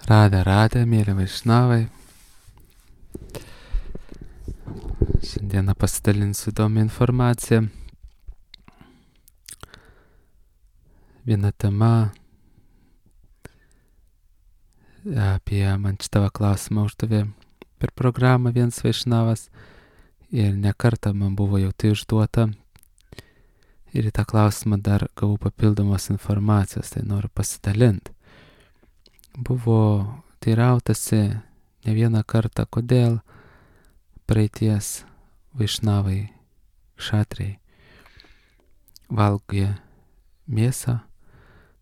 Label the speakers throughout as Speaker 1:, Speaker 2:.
Speaker 1: Radė, mėly vaišnavai. Šiandieną pasidalinsiu įdomią informaciją. Viena tema apie man šitą klausimą uždavė per programą vienas vaišnavas ir ne kartą man buvo jau tai užduota. Ir į tą klausimą dar gavau papildomos informacijos, tai noriu pasidalinti. Buvo teirautasi ne vieną kartą, kodėl praeities vaišnavai, kšatriai valgė mėsą,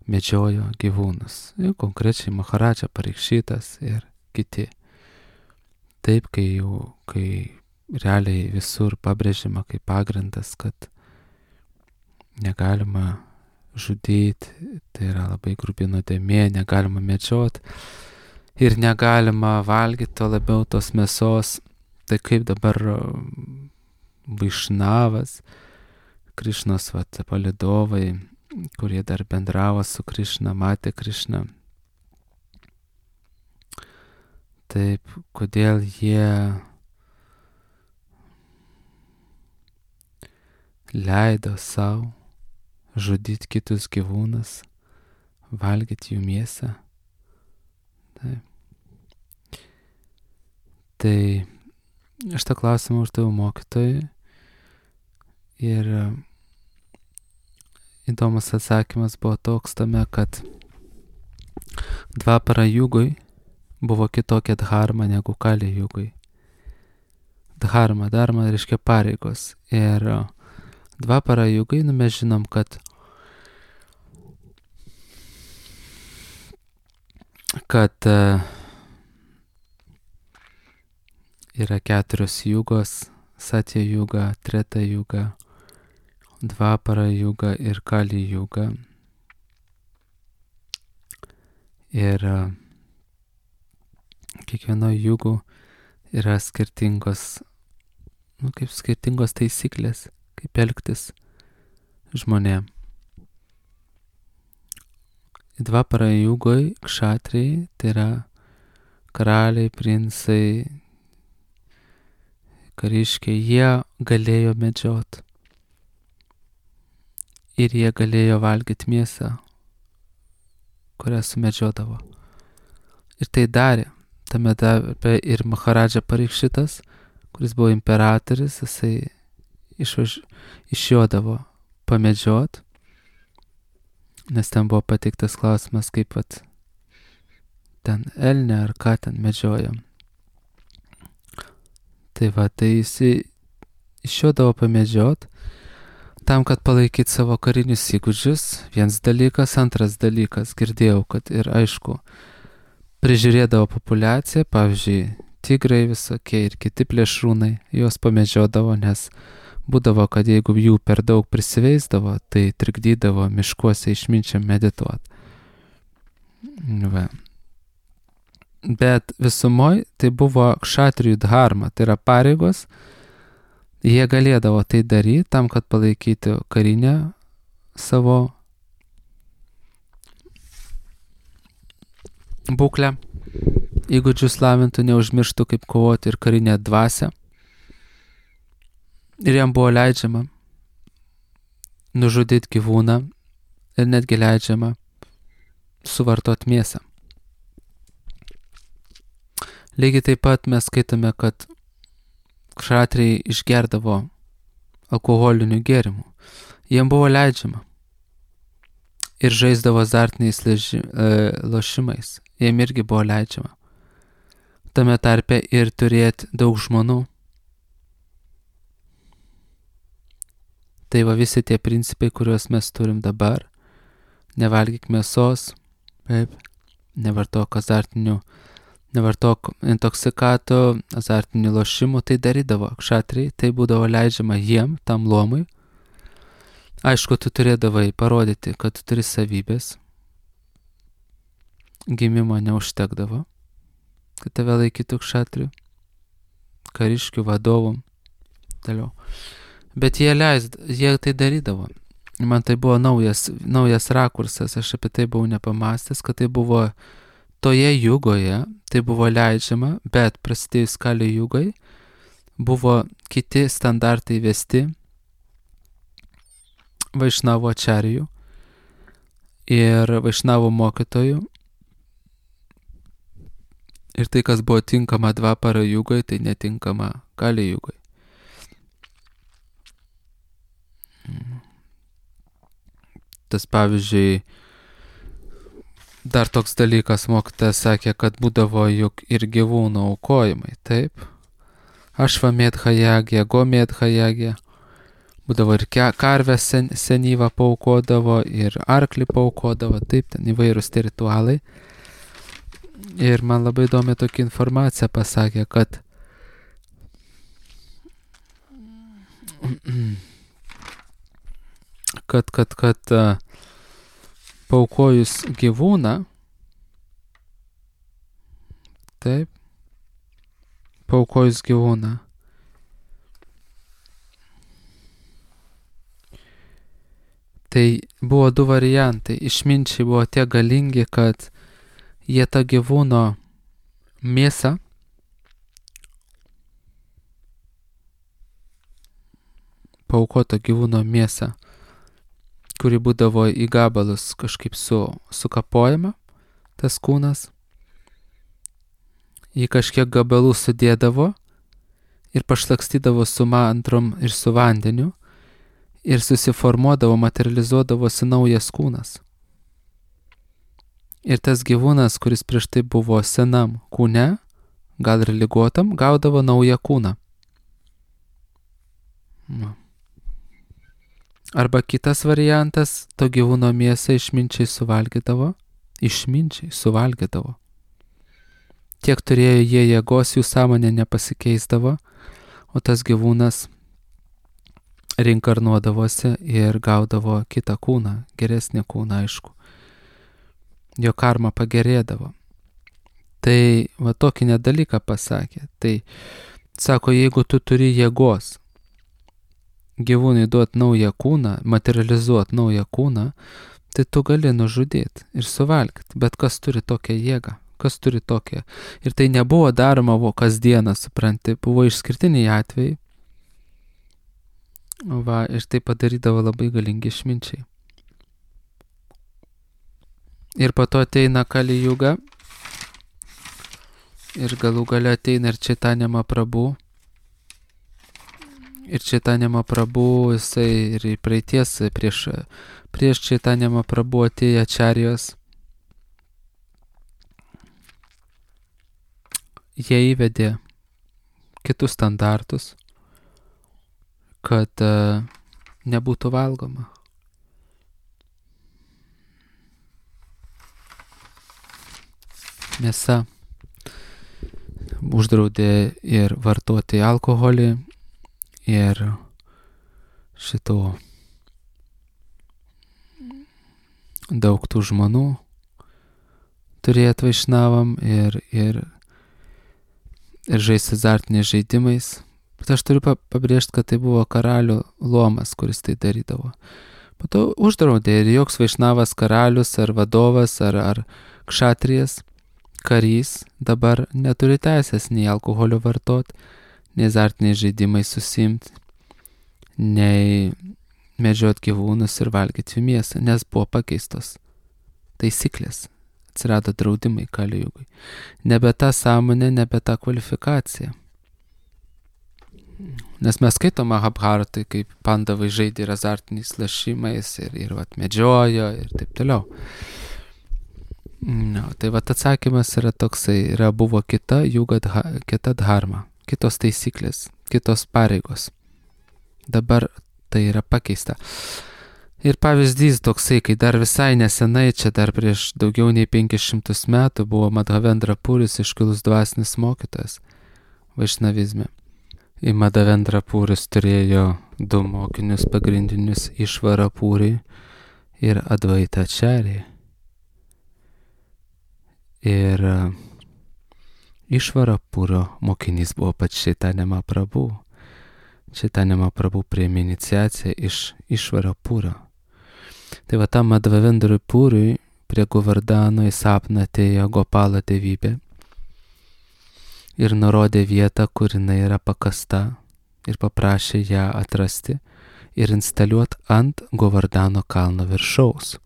Speaker 1: medžiojo gyvūnus. Ir konkrečiai Maharadža Parikšitas ir kiti. Taip, kai realiai visur pabrėžima kaip pagrindas, kad negalima žudyti, tai yra labai grubi nuodėmė, negalima medžioti ir negalima valgyti to labiau tos mėsos. Tai kaip dabar vaišnavas, Krišnos palydovai, kurie dar bendravo su Krišna, matė Krišną. Taip, kodėl jie leido savo žudyti kitus gyvūnus, valgyti jų mėsą. Taip. Tai aš tą klausimą uždaviau mokytojui ir įdomus atsakymas buvo toks tame, kad Dvapara jugui buvo kitokia dharma negu Kali jugui. Dharma reiškia pareigos. Ir Dvapara jugai, mes žinom, kad yra 4 jugos: Satya juga, Treta juga, Dvapara juga ir Kali juga. Ir kiekvienoje jugų yra skirtingos taisyklės, kaip elgtis žmonėm. Dvapara jugoj kšatriai, tai yra karaliai, princai, kariškiai, jie galėjo medžioti. Ir jie galėjo valgyti mėsą, kurią sumedžiodavo. Ir tai darė. Tame darbe ir Maharadža Parikšitas, kuris buvo imperatorius, jisai išjodavo pamedžiot, nes ten buvo pateiktas klausimas, kaip ten elnė ar ką ten medžiojam. Tai jis išjodavo pamedžiot, tam, kad palaikyti savo karinius įgūdžius, vienas dalykas, antras dalykas, girdėjau, kad ir aišku, prižiūrėdavo populiaciją, pavyzdžiui, tigrai visokie ir kiti plėšrūnai, juos pamedžiodavo, nes būdavo, kad jeigu jų per daug prisiveisdavo, tai trikdydavo miškuose išminčiam medituoti. Bet visumoj tai buvo kšatrijų dharma, tai yra pareigos. Jie galėdavo tai daryti tam, kad palaikyti karinę savo būklę, įgūdžius lavintų, neužmirštų kaip kovoti ir karinę dvasią. Ir jam buvo leidžiama nužudyti gyvūną ir netgi leidžiama suvartoti mėsą. Lygiai taip pat mes skaitome, kad kšatriai išgerdavo alkoholinių gėrimų. Jiem buvo leidžiama. Ir žaisdavo azartiniais lošimais. Jiem irgi buvo leidžiama. Tame tarpe ir turėti daug žmonų. Tai visi tie principai, kuriuos mes turim dabar. Nevalgyk mėsos, nevartok intoksikato, azartinių lošimų, tai darydavo kšatriai, tai būdavo leidžiama jiem, tam luomui. Aišku, tu turėdavai parodyti, kad tu turi savybės. Gimimo neužtekdavo, kad tave laikytų kšatrių, kariškių, vadovų. Toliau. Bet jie tai darydavo. Man tai buvo naujas rakursas, aš apie tai buvau nepamastęs, kad tai buvo toje jugoje tai buvo leidžiama, bet prasidėjus Kali jugai buvo kiti standartai vesti Vaišnavo ačarijų ir Vaišnavo mokytojų. Ir tai, kas buvo tinkama Dvapara jugai, tai netinkama Kali jugai. Tas pavyzdžiui, dar toks dalykas mokytojas sakė, kad būdavo juk ir gyvūnų aukojimai, taip? Ašvamedhajagė, Gomedhajagė. Būdavo ir karvę senyvą paaukodavo, ir arklį paaukodavo, taip, ten įvairūs ritualai. Ir man labai įdomi tokia informacija pasakė, kad paaukojus gyvūną, taip, paaukojus gyvūną, tai buvo du variantai. Išminčiai buvo tie galingi, kad jie tą gyvūno mėsą paaukoto gyvūno mėsą, kuri būdavo į gabalus kažkaip sukapojama, tas kūnas, jį kažkiek gabalų sudėdavo ir pašlakstydavo su mantrom ir su vandeniu ir susiformuodavo, materializuodavosi naujas kūnas. Ir tas gyvūnas, kuris prieš tai buvo senam kūne, gal ir ligotam, gaudavo naują kūną. Arba kitas variantas, to gyvūno mėsą išminčiai suvalgydavo. Tiek turėjo jie jėgos, jų sąmonė nepasikeisdavo, o tas gyvūnas reinkarnuodavosi ir gaudavo kitą kūną, geresnį kūną, aišku. Jo karma pagerėdavo. Tai va tokį nedalyką pasakė. Tai sako, jeigu tu turi jėgos gyvūnui duoti naują kūną, materializuoti naują kūną, tai tu gali nužudyti ir suvalgyti. Bet kas turi tokią jėgą? Kas turi tokią? Ir tai nebuvo daroma kasdieną, supranti, buvo išskirtiniai atvejai. Va, ir tai padarydavo labai galingi išminčiai. Ir po to ateina Kali juga. Ir galų gale ateina ir Chaitanya Mahaprabhu. Ir Chaitanya Mahaprabhu, jisai ir praeities prieš Chaitanya Mahaprabhu atėjo ačarijos. Jie įvedė kitus standartus, kad nebūtų valgoma. Mėsa. Uždraudė ir vartoti alkoholį, ir šito daug tų žmonų turėt Vaišnavam ir žaisti azartiniais žaidimais. Bet aš turiu pabrėžti, kad tai buvo karalių luomas, kuris tai darydavo. Po to uždraudė ir joks Vaišnavas karalius ar vadovas ar kšatrijas, karys dabar neturi teisės nei alkoholio vartot, nei azartiniais žaidimais susimti, nei medžiot gyvūnus ir valgyti jų mėsą, nes buvo pakeistos taisyklės. Atsirado draudimai Kali jugai. Nebe ta sąmonė, nebe ta kvalifikacija. Nes mes skaitom Mahabharatai, kaip pandavai žaidė ir azartiniais lašimais ir medžiojo ir taip toliau. No, tai atsakymas yra toksai, buvo kita juga, kita dharma, kitos taisyklės, kitos pareigos. Dabar tai yra pakeista. Ir pavyzdys toksai, kai dar visai nesenai, čia dar prieš daugiau nei 500 metų buvo Madhavendra Puris iškilus dvasinis mokytojas vaišnavizme. Į Madhavendra Puris turėjo du mokinius pagrindinius, Išvara Puri ir Advaita Acharya. Ir Išvara Purio mokinys buvo pats Chaitanya Mahaprabhu. Chaitanya Mahaprabhu priėmė iniciaciją iš Išvara Purio. Tai va tam Madhavendrui Puriui prie Govardhano į sapną atėjo Gopalo dievybė ir nurodė vietą, kur jinai yra pakasta ir paprašė ją atrasti ir instaliuoti ant Govardhano kalno viršaus.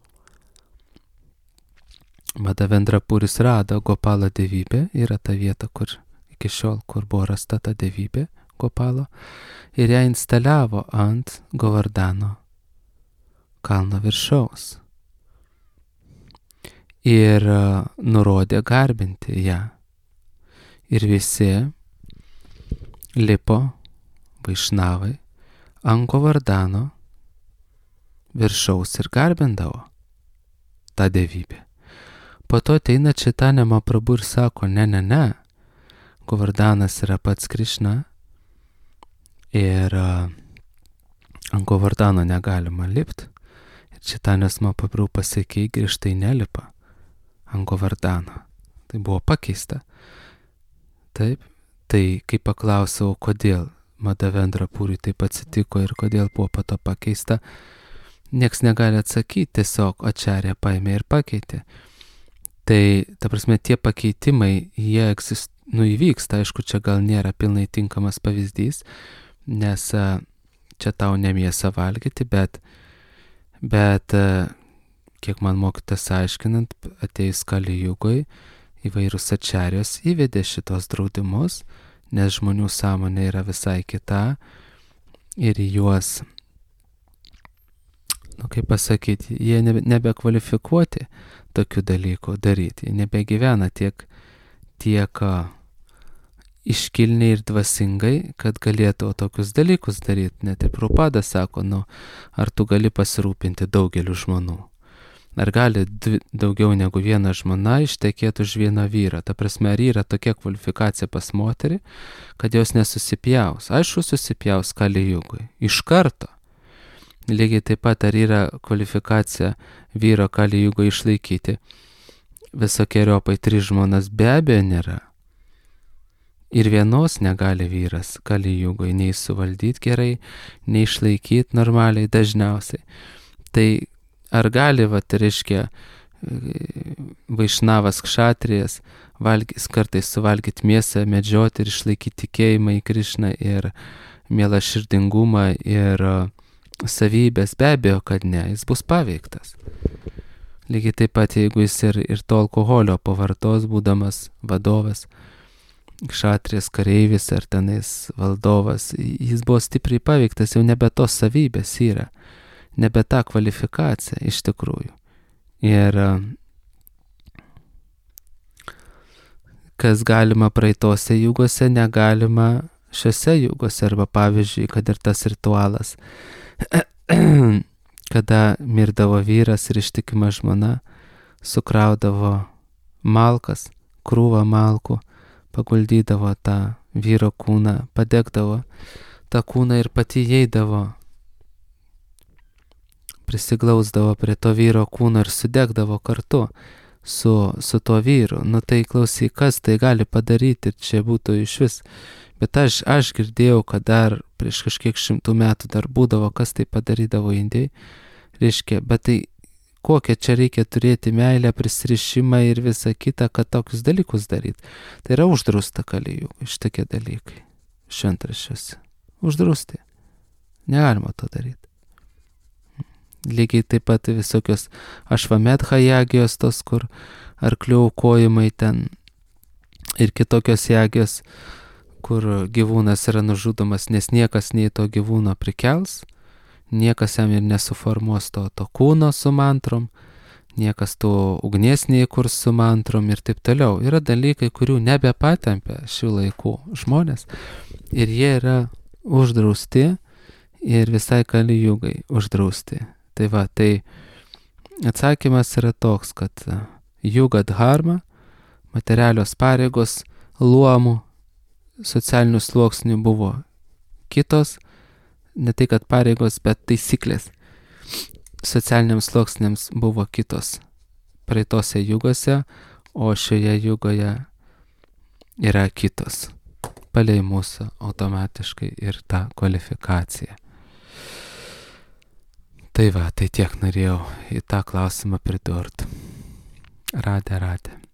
Speaker 1: Madhavendra Puris rado Gopalo dievybę, yra ta vieta, kur iki šiol, kur buvo rasta ta dievybė Gopalo, ir ją instaliavo ant Govardhano kalno viršaus. Ir nurodė garbinti ją. Ir visi lipo vaišnavai ant Govardhano viršaus ir garbindavo tą dievybę. Po to ateina Chaitanya Mahaprabhu ir sako, ne, Govardhanas yra pats Krišna ir ant Govardhano negalima lipti. Ir Chaitanyas Mahaprabhu pasakė, griežtai nelipa ant Govardhano. Tai buvo pakeista. Taip, tai kai paklausiau, kodėl Madhavendra Puriui taip atsitiko ir kodėl buvo po to pakeista, nieks negali atsakyti, tiesiog Acharya paėmė ir pakeitė. Tai, ta prasme, tie pakeitimai, jie įvyksta, aišku, čia gal nėra pilnai tinkamas pavyzdys, nes čia tau ne mėsą valgyti, bet kiek man mokytas aiškinant, atėjus Kali Jugoj, įvairūs ačarijos įvedė šitos draudimus, nes žmonių sąmonė yra visai kita ir juos, kaip pasakyti, jie nebekvalifikuoti tokių dalykų daryti, jie nebegyvena tiek iškilniai ir dvasingai, kad galėtų tokius dalykus daryti. Net ir Prabhupada sako, ar tu gali pasirūpinti daugeliu žmonų? Ar gali daugiau negu viena žmona ištekėti už vieną vyrą? Ta prasme, ar yra tokia kvalifikacija pas moterį, kad jos nesusipjaus? Aišku, susipjaus Kali Jugoj. Iš karto. Lygiai taip pat, ar yra kvalifikacija vyro Kali Jugoj išlaikyti visokiojopai 3 žmonas? Be abejo nėra. Ir vienos negali vyras Kali Jugoj nei suvaldyti gerai, nei išlaikyti normaliai dažniausiai. Tai ar gali, reiškia, vaišnavas kšatrijas kartais suvalgyti mėsą, medžioti ir išlaikyti tikėjimą į Krišną ir mielą širdingumą ir savybės? Be abejo, kad ne, jis bus paveiktas. Lygiai taip pat, jeigu jis ir to alkoholio pavartos, būdamas vadovas, kšatrijas kareivis ar tenais valdovas, jis buvo stipriai paveiktas, jau nebe tos savybės yra, nebe ta kvalifikacija iš tikrųjų. Ir kas galima praeitose jugose, negalima šiose jugose, arba pavyzdžiui, kad ir tas ritualas, kada mirdavo vyras ir ištikima žmona, sukraudavo malkas, krūvą malkų, paguldydavo tą vyro kūną, padegdavo tą kūną ir pati įeidavo, prisiglausdavo prie to vyro kūno ir sudegdavo kartu su tuo vyru. Tai klausyk, kas tai gali padaryti, ir čia būtų iš vis. Bet aš girdėjau, kad dar prieš kažkiek 100 metų dar būdavo, kas tai padarydavo Indijai. Reiškia, bet tai kokią čia reikia turėti meilę, prisirišimą ir visą kitą, kad tokius dalykus daryti. Tai yra uždrausta Kali Jugoj šitokie dalykai. Šventraščiuose. Uždrausti. Negalima to daryti. Lygiai taip pat visokios ašvamedha jagijos, tos, kur arklių aukojimai ten, ir kitokios jagijos, kur gyvūnas yra nužudomas, nes niekas nei to gyvūno prikels, niekas jam ir nesuformuos to kūno su mantrom, niekas to ugnies neįkurs su mantrom ir taip toliau. Yra dalykai, kurių nebepatempia šių laikų žmonės ir jie yra uždrausti ir visai Kali Jugai uždrausti. Tai va, tai atsakymas yra toks, kad juga dharma, materialios pareigos, luomų, socialinių sluoksnių buvo kitos, ne tai kad pareigos, bet taisyklės socialiniams sluoksniams buvo kitos praeitose jugose, o šioje jugoje yra kitos, palei mūsų automatiškai ir tą kvalifikaciją. Tai va, tai tiek norėjau į tą klausimą pridurti. Radė.